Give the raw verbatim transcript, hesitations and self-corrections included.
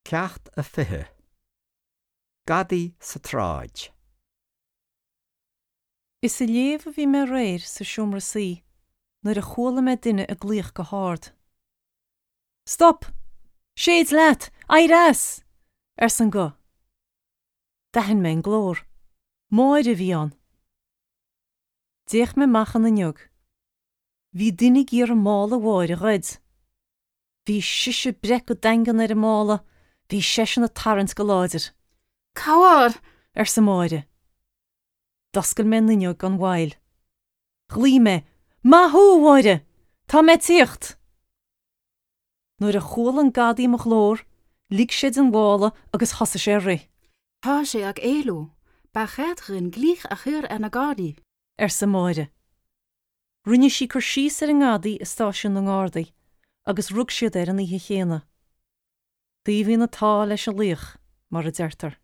Ceacht a fiche. Gadaí sa tsráid. Is ag léamh a bhí mé aréir sa seomra suí nuair a chuala mé duine ag glaoch go hard. Stop! Séid leat! Éirigh as! arsa an guth. D'aithin mé an glór. Máire a bhí ann. D'fhéach mé amach an fhuinneog. Bhí duine ag iarraidh mála Mháire a ghoid. Bhí sise ag breith go daingean ar an mála, bhí seisean ag tarraingt go láidir. Cabhair! arsa Máire. D'oscail mé an fhuinneog gan mhoill. Ghlaoigh mé, Maith thú, a Mháire! Tá mé ag tíocht! Nuair a chuala an gadaí mo ghlór, lig sé den mhála agus thosaigh sé ag rith. Tá sé ag éalú. Ba cheart dúinn glaoch a chur ar na Gardaí. arsa Máire. Rinne sí cur síos ar an ngadaí i stáisiún na nGardaí, agus rug siad air an oíche chéanna. Taobhaíonn an t-ádh leis an laoch, mar a deirtear.